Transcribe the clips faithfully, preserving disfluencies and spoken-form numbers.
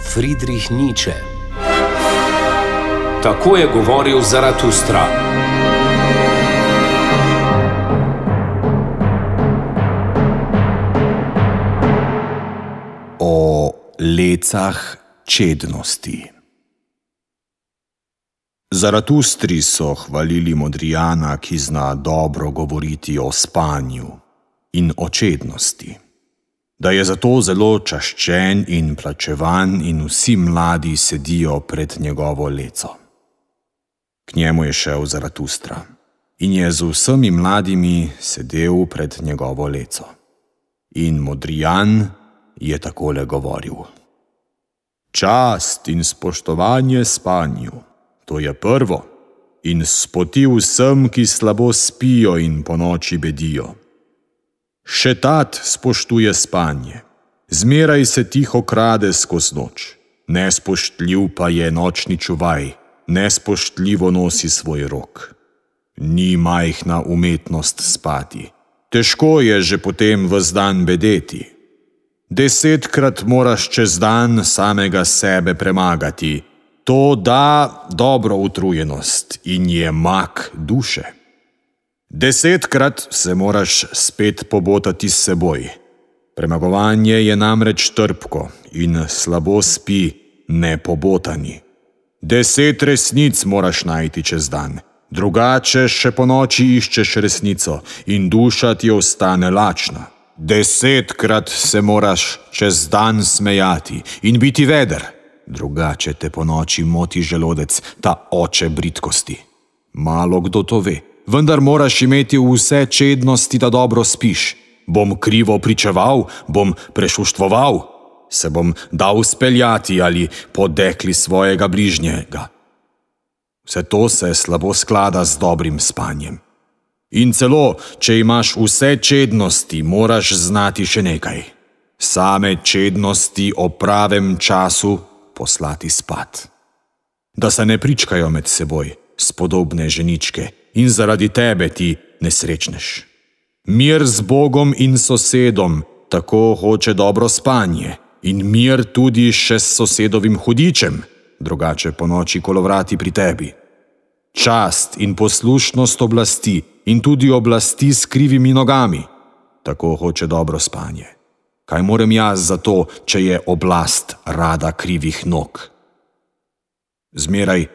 Friedrich Nietzsche. Tako je govoril Zaratustra. O lecah čednosti. Zaratustri so hvalili modrijana, ki zna dobro govoriti o spanju in o čednosti, da je zato zelo čaščen in plačevan in vsi mladi sedijo pred njegovo leco. K njemu je šel Zaratustra in je z vsemi mladimi sedel pred njegovo leco. In modrijan je takole govoril: Čast in spoštovanje spanju, to je prvo, in spoti vsem, ki slabo spijo in ponoči bedijo. Še tat spoštuje spanje, zmeraj se tiho krade skoz noč, nespoštljiv pa je nočni čuvaj, nespoštljivo nosi svoj rok. Ni majhna umetnost spati, težko je že potem ves dan bedeti. Desetkrat moraš čez dan samega sebe premagati, to da dobro utrujenost in je mak duše. Desetkrat se moraš spet pobotati s seboj. Premagovanje je namreč trpko in slabo spi nepobotani. Deset resnic moraš najti čez dan, drugače še po noči iščeš resnico in duša ti ostane lačna. Desetkrat se moraš čez dan smejati in biti veder, drugače te po noči moti želodec, ta oče bridkosti. Malo kdo to ve, vendar moraš imeti vse čednosti, da dobro spiš. Bom krivo pričeval, bom prešuštvoval, se bom dal speljati ali podekli svojega bližnjega. Vse to se slabo sklada z dobrim spanjem. In celo, če imaš vse čednosti, moraš znati še nekaj. Same čednosti o pravem času poslati spat. Da se ne pričkajo med seboj, spodobne ženičke, in zaradi tebe ti nesrečneš. Mir z Bogom in sosedom, tako hoče dobro spanje, in mir tudi še s sosedovim hudičem, drugače po noči kolovrati pri tebi. Čast in poslušnost oblasti in tudi oblasti s krivimi nogami, tako hoče dobro spanje. Kaj morem jaz za to, če je oblast rada krivih nog? Zmeraj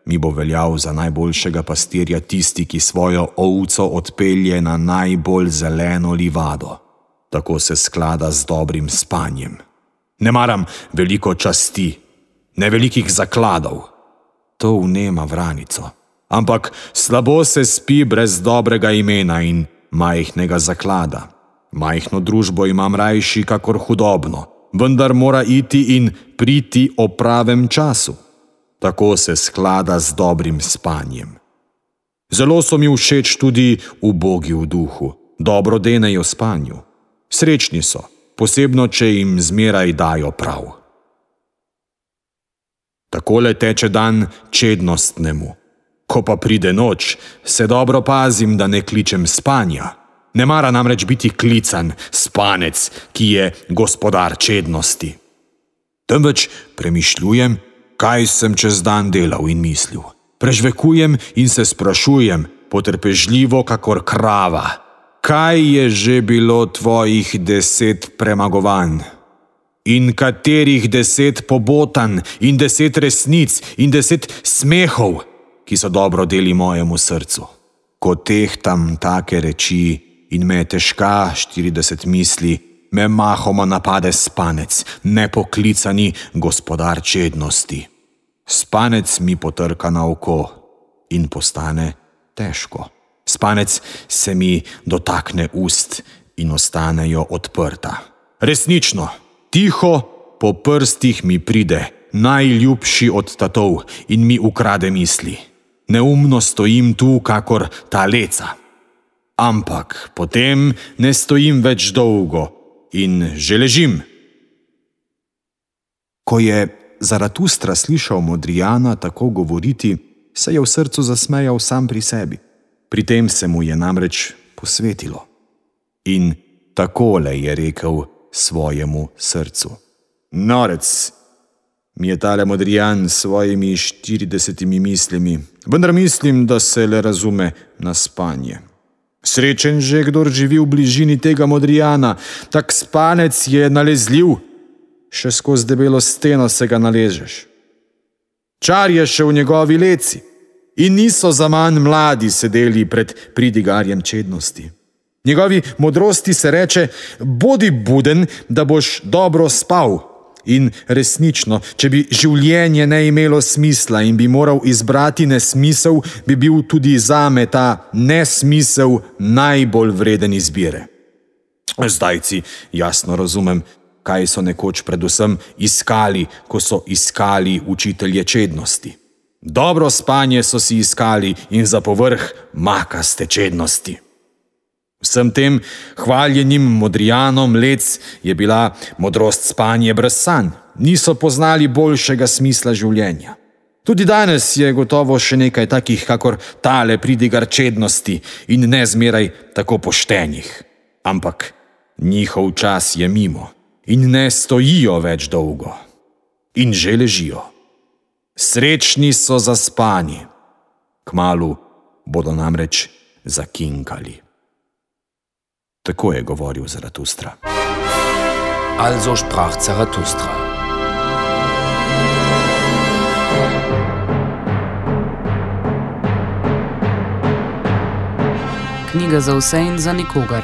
mi bo veljal za najboljšega pastirja tisti, ki svojo ovco odpelje na najbolj zeleno livado. Tako se sklada z dobrim spanjem. Ne maram veliko časti, ne velikih zakladov. To vnema vranico. Ampak slabo se spi brez dobrega imena in majhnega zaklada. Majhno družbo imam rajši kakor hudobno, vendar mora iti in priti o pravem času. Tako se sklada z dobrim spanjem. Zelo so mi všeč tudi ubogi v duhu, dobro denejo spanju. Srečni so, posebno če jim zmeraj dajo prav. Takole teče dan čednostnemu. Ko pa pride noč, se dobro pazim, da ne kličem spanja. Ne mara namreč biti klican spanec, ki je gospodar čednosti. Temveč premišljujem, kaj sem čez dan delal in mislil. Prežvekujem in se sprašujem, potrpežljivo kakor krava. Kaj je že bilo tvojih deset premagovanj? In katerih deset pobotanj in deset resnic in deset smehov, ki so dobro deli mojemu srcu? Ko tehtam take reči in me težka štirideset misli, me mahoma napade spanec, nepoklicani gospodar čednosti. Spanec mi potrka na oko in postane težko. Spanec se mi dotakne ust in ostanejo odprta. Resnično, tiho po prstih mi pride, najljubši od tatov, in mi ukrade misli. Neumno stojim tu kakor ta leca. Ampak potem ne stojim več dolgo in že ležim. Ko je Zaratustra slišal modrijana tako govoriti, se je v srcu zasmejal sam pri sebi. Pri tem se mu je namreč posvetilo. In takole je rekel svojemu srcu: Norec, mi je tale Modrijan s svojimi štiridesetimi mislimi, vendar mislim, da se le razume na spanje. Srečen že, kdor živi v bližini tega Modrijana, tak spanec je nalezljiv, še skozi debelo steno se ga naležeš. Čar je še v njegovi leci in niso zaman mladi sedeli pred pridigarjem čednosti. Njegovi modrosti se reče, bodi buden, da boš dobro spal. In resnično, če bi življenje ne imelo smisla in bi moral izbrati nesmisel, bi bil tudi zame ta nesmisel najbolj vreden izbire. Zdajci jasno razumem, kaj so nekoč predvsem iskali, ko so iskali učitelje čednosti. Dobro spanje so si iskali in za povrh makaste čednosti. Vsem tem hvaljenim Modrijanom lec je bila modrost spanje brez sanj. Niso poznali boljšega smisla življenja. Tudi danes je gotovo še nekaj takih, kakor tale pridigar čednosti in nezmeraj tako poštenih. Ampak njihov čas je mimo in ne stojijo več dolgo. In že ležijo. Srečni so zaspani. Kmalu bodo namreč zakinkali. Tako je govoril Zaratustra. Also sprach Zarathustra. Knjiga za vse in za nikogar.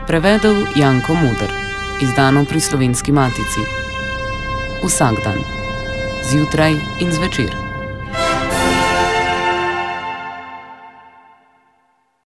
Prevedel Janko Moder. Izdano pri Slovenski matici. Vsak dan. Zjutraj in zvečer.